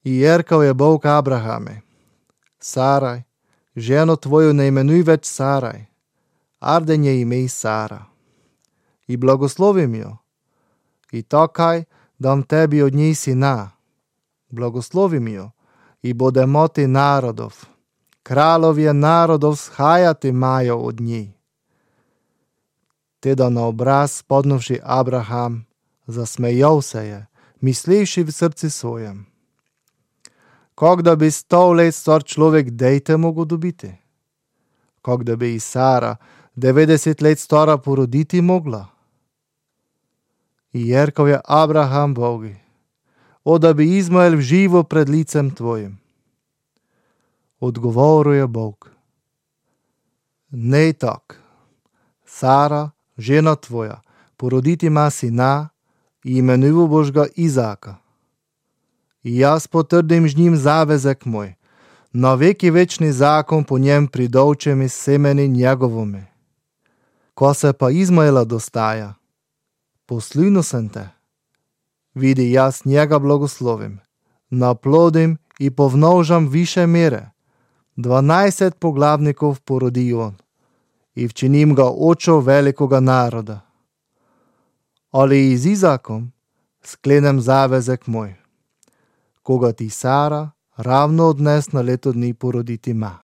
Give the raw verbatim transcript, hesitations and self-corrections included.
I jerkal je Bog Abrahame: Saraj, ženo tvoju ne imenuj več Saraj, arden je ime Sara. I blagoslovim jo. I takaj dam tebi od njej sina. Blagoslovim jo i bude mati narodov. Kralovje narodov shajati majo od njej. Teda na obraz podnuvši Abraham, zasmejal se je, mislivši v srci svojem: Kak da bi sto let star človek dejte mogo dobiti? Kak da bi i Sara devetdeset let stara poroditi mogla? I jerkal je Abraham Bogi: O da bi Izmael živo pred licem tvojim. Odgovoril je Bog: Ne tak. Sara, žena tvoja, poroditi ima sina i imenuval boš ga Izaka. I jaz potrdim z njim zavezek moj, na veki večni zakon po njem pridolčem iz semeni njegovome. Ko se pa Izmaela dostaja, poslinu sem te. Vidi, jaz njega blagoslovim, naplodim i povnožam više mere. Dvanajset poglavnikov porodi on i včinim ga očo velikoga naroda. Ali i z Izakom sklenem zavezek moj, koga ti Sara ravno odnes na leto dni poroditi ma.